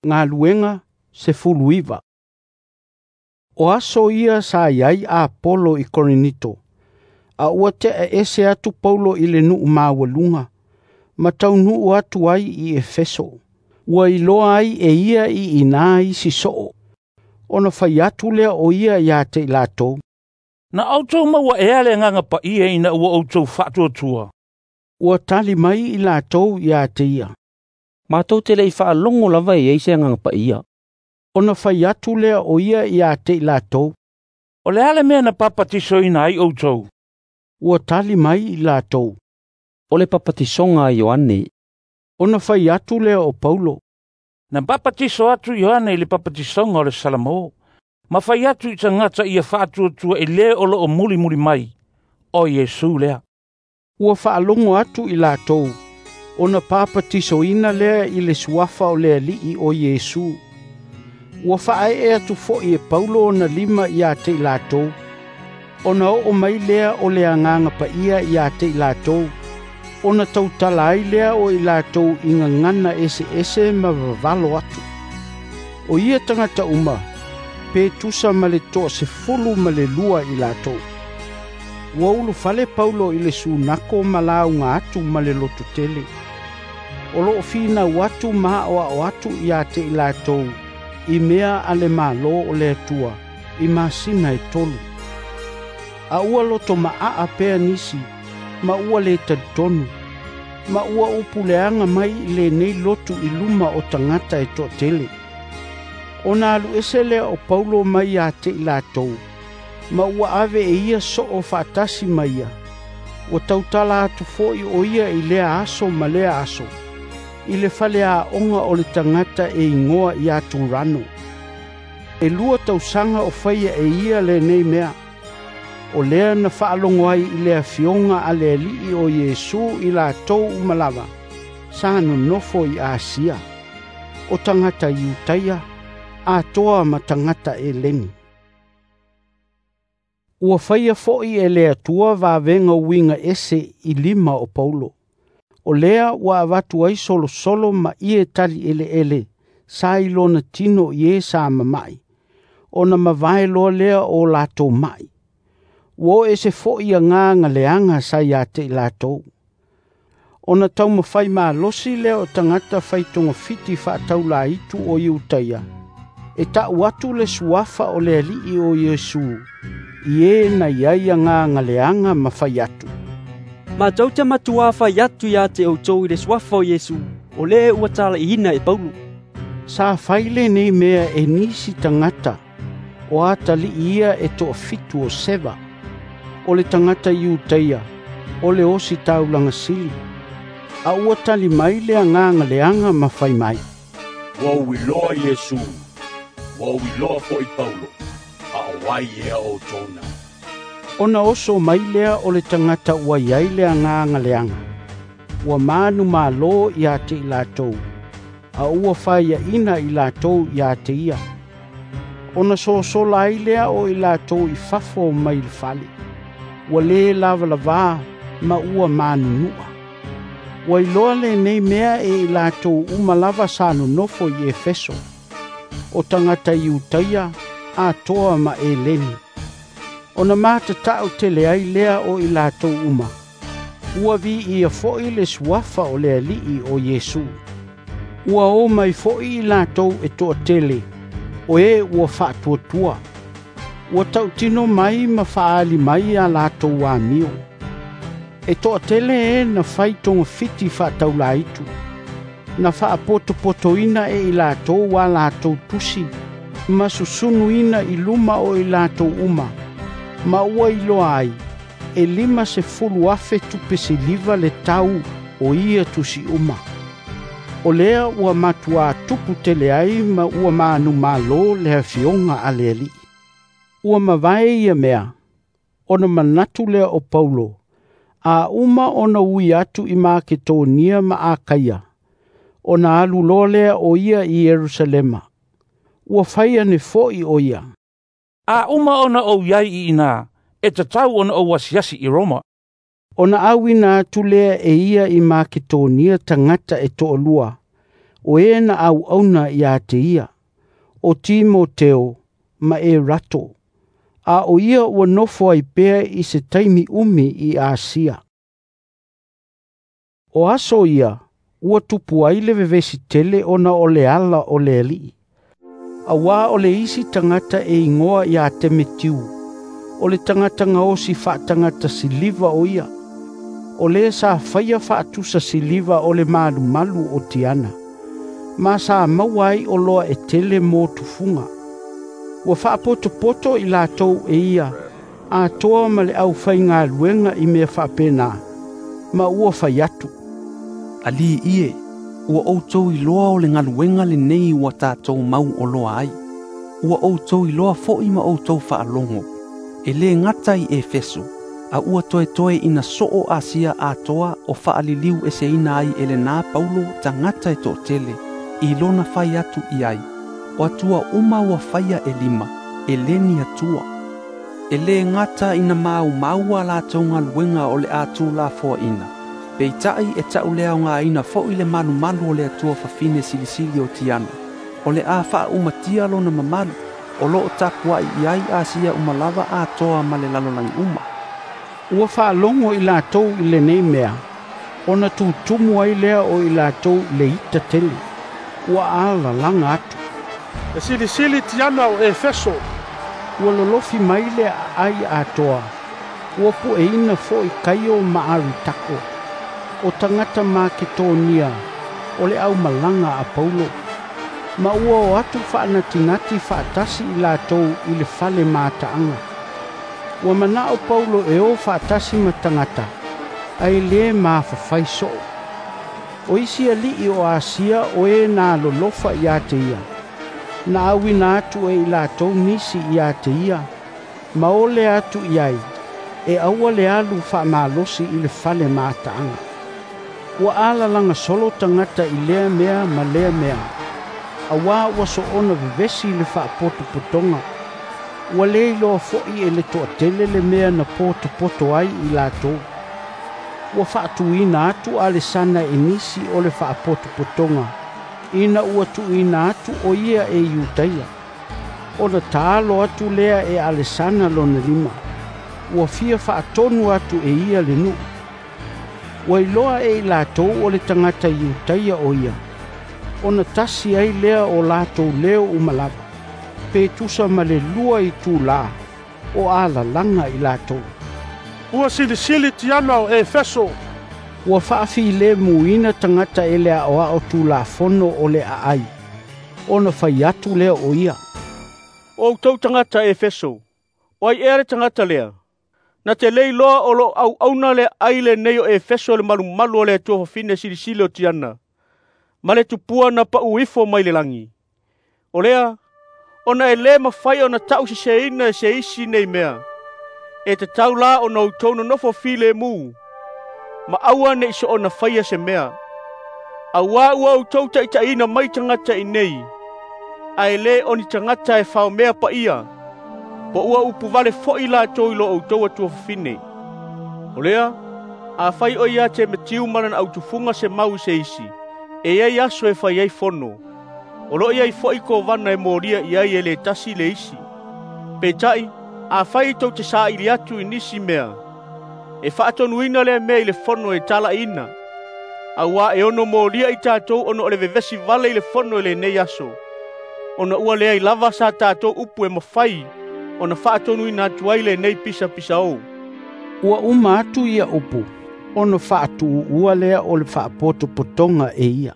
Galuega 19. O aso ia sa i ai Apolo i Korinito, a ua te'eese atu Paulo i le nuu maualuga, ma taunuu atu ai i Efeso. Ua iloa ai e ia i ina isi soo, ona fai atu lea o ia ia te i latou. Na outou maua ea le Agaga Paia ina ua outou faatuatua? Ua tali mai i latou ia te ia. Matou te le i faalogo lava e i ai se Agaga Paia. Ona fai atu lea o ia ia te i latou. O le a le mea na papatisoina ai outou? Ua tali mai i latou. O le papatisoga a Ioane. Ona fai atu lea o Paulo. Na papatiso atu Ioane i le papatisoga o le Salamo, ma fai atu i tagata ia faatuatua i le o loo mulimuli mai, o Iesu lea. Ua faalogo atu i latou, ona papatisoina lea i le suafa o le Alii o Iesu. Ua faaee atu foi e Paulo ona lima ia te i latou, ona oo mai lea o le Agaga Paia ia te i latou, ona tautala ai lea o i latou i gagana eseese ma vavalo atu. O ia tagata uma, pe tusa ma le 12 i latou. Ua ulufale Paulo i le sunako ma lauga atu ma le lototele. O loo finau atu ma aoao atu ia te i latou, i mea a le Malo o le Atua, i masina e 3. A ua loto maa pea nisi, ma ua le talitonu, ma ua upuleaga mai i lenei lotu i luma o tagata e toatele. Ona alu ese lea o Paulo mai ia te i latou, ma ua ave e ia soo faatasi ma ia. Ua tautala atu foi o ia i lea aso ma lea aso, i le faleaoga o le tagata e igoa ia Turano. E 2 tausaga o faia e ia lenei mea. O lea na faalogo ai i le afioga a le Alii o Iesu i latou uma lava, sa nonofo i Asia, o tagata Iutaia, atoa ma tagata Eleni. Ua faia foi e le Atua vavega uiga ese i lima o Paulo. O lea ua avatu ai solosolo ma ie tali eleele sa i lona tino i e sa mamai, ona mavae loa lea o latou mai. Ua o ese foi agaga leaga sa ia te i latou. Ona taumafai malosi lea o tagata faitogafiti faataulaitu o Iutaia, e ta'u atu le suafa o le Alii o Iesu, i e na i ai agaga leaga ma fai atu. Matou te matuā fai atu ia te outou i le suafa o Iesu, o le ua talaiina e Paulo. Sa fai lenei mea e nisi tagata, o atalii ia e 7 o Seva, o le tagata Iutaia, o le osi taulaga sili. A ua tali mai le agaga leaga ma fai mai. Ua ou iloa Iesu, ua ou iloa foi Paulo, a o ai ea outou na. Ona oso mai lea o le tagata ua i ai le agaga leaga. Ua manu malo ia te i latou, a ua faiaina i latou ia te ia. Ona sosola ai lea o i latou i fafo mai le fale. Ua le lavalavā ma ua manunua. Ua iloa lenei mea e i latou uma lava sa nonofo i Efeso, o tagata Iutaia, atoa ma Eleni. Ona matatau tele ai lea o i latou uma. Ua viia foi le suafa o le Alii o Iesu. Ua o mai foi i latou e toatele, o e ua faatuatua. Ua tautino mai ma faali mai a latou amio. E toatele e na fai togafiti faataulaitu, na faapotopotoina e i latou a latou tusi, ma susunuina i luma o i latou uma, ma ua iloa ai, e 50,000 tupe siliva le tau o ia tusi uma. O lea ua matuā tupu tele ai ma ua manumalo le afioga a le Alii. Ua mavae ia mea, ona manatu lea o Paulo, a uma ona ui atu i Maketonia ma Akaia, ona alu loa lea o ia i Ierusalema. Ua fai ane foi o ia. A uma ona ou iai i ina, e tatau ona ou asiasi i Roma. Ona auina atu lea e ia i Maketonia tagata e 2, o e na auauna ia te ia, o Timoteo ma Erato, a o ia ua nofo ai pea i se taimi umi i Asia. O aso ia, ua tupu ai le vevesi tele ona o le ala o le alii. Auā o le isi tagata e igoa ia Temetiu, o le tagata gaosi faatagata siliva o ia, o le sa faia faatusa siliva o le malumalu o Tiana, ma sa maua ai oloa e tele mo tufuga. Ua faapotopoto i latou e ia, atoa ma le aufaigaluega i mea faapena, ma ua fai atu, Alii ie, ua outou iloa o le galuega lenei ua tatou mau oloa ai. Ua outou iloa fo'i ma outou faalogo, e lē gata i Efeso, a ua toetoe ina soo Asia atoa o faaliliu eseina ai e lenā Paulo tagata e toatele, i lona fai atu i ai, o atua uma ua faia e lima, e lē ni Atua. E lē gata ina maumau a latou galuega o le a tulafoaina, peita'i e ta'uleaogāina fo'i le malumalu o le Atua fafine silisili o Tiana, o le a faaumatia lona mamalu, o loo tapua'i i ai Asia uma lava atoa ma le lalolagi uma. Ua faalogo i latou i lenei mea, ona tutumu ai lea o i latou i le ita tele. Ua alalaga atu, E silisili Tiana o Efeso. Ua lolofi mai le aai atoa, ua pueina fo'i Kaio ma Aritako, o tagata Maketonia o le aumalaga a Paulo, ma ua o atu faanatinati faatasi i latou i le fale mataaga. Ua manao Paulo e o faatasi ma tagata, ae lē mafafai soo. O isi alii o Asia o e na lolofa ia te ia, na auina atu e i latou nisi ia te ia, ma ole atu i ai, e aua le alu faamalosi i le fale mataaga. Ua alalaga solo tagata i lea mea ma lea mea, auā ua soona vevesi le faapotopotoga. Ua lē iloa fo'i e le toatele le mea na potopoto ai i latou. Ua faatuina atu Alesana e nisi o le faapotopotoga, ina ua tuuina atu o ia e Iutaia. Ona taalo atu lea e Alesana lona lima, ua fia faatonu atu e ia le nuu. Ua iloa e i latou o le tagata Iutaia o ia, ona tasi ai lea o latou leo uma lava, pe tusa ma le 2 itulā o alalaga i latou. Ua silisili Tiana o Efeso. Ua faafilemuina tagata e le aoao tulafono o le aai, ona fai atu lea o ia, O outou tagata Efeso, o ai ea le tagata lea? Na te le iloa o loo auauna le aai lenei o Efeso le malumalu o le Atua fafine silisili o Tiana, ma le tupua na pau ifo mai le lagi. O lea, ona e lē mafai ona ta'useseina e se isi nei mea, e tatau la ona outou nonofo filemu, ma aua ne'i soona faia se mea. Auā ua outou taʻitaʻiina mai tagata i nei, ae lē o ni tagata e faomea paia, po ua upu vale fo'i latou i lo outou atua fafine. O lea, afai o ia Temetiu ma lana autufuga se mau i se isi, e iai aso e fai ai fono, o loo iai fo'i kovana e molia i ai e lē tasi le isi. Peita'i, afai tou te saili atu i nisi mea, e faatonuina lea mea i le fono e talaina, auā e ono molia i tatou ona o le vevesi vale i le fono i lenei aso, ona ua leai lava sa tatou upu e mafai ona faatonuina atu ai lenei pisapisaō. Ua uma atu ia upu, ona faatuuua lea o le faapotopotoga e ia.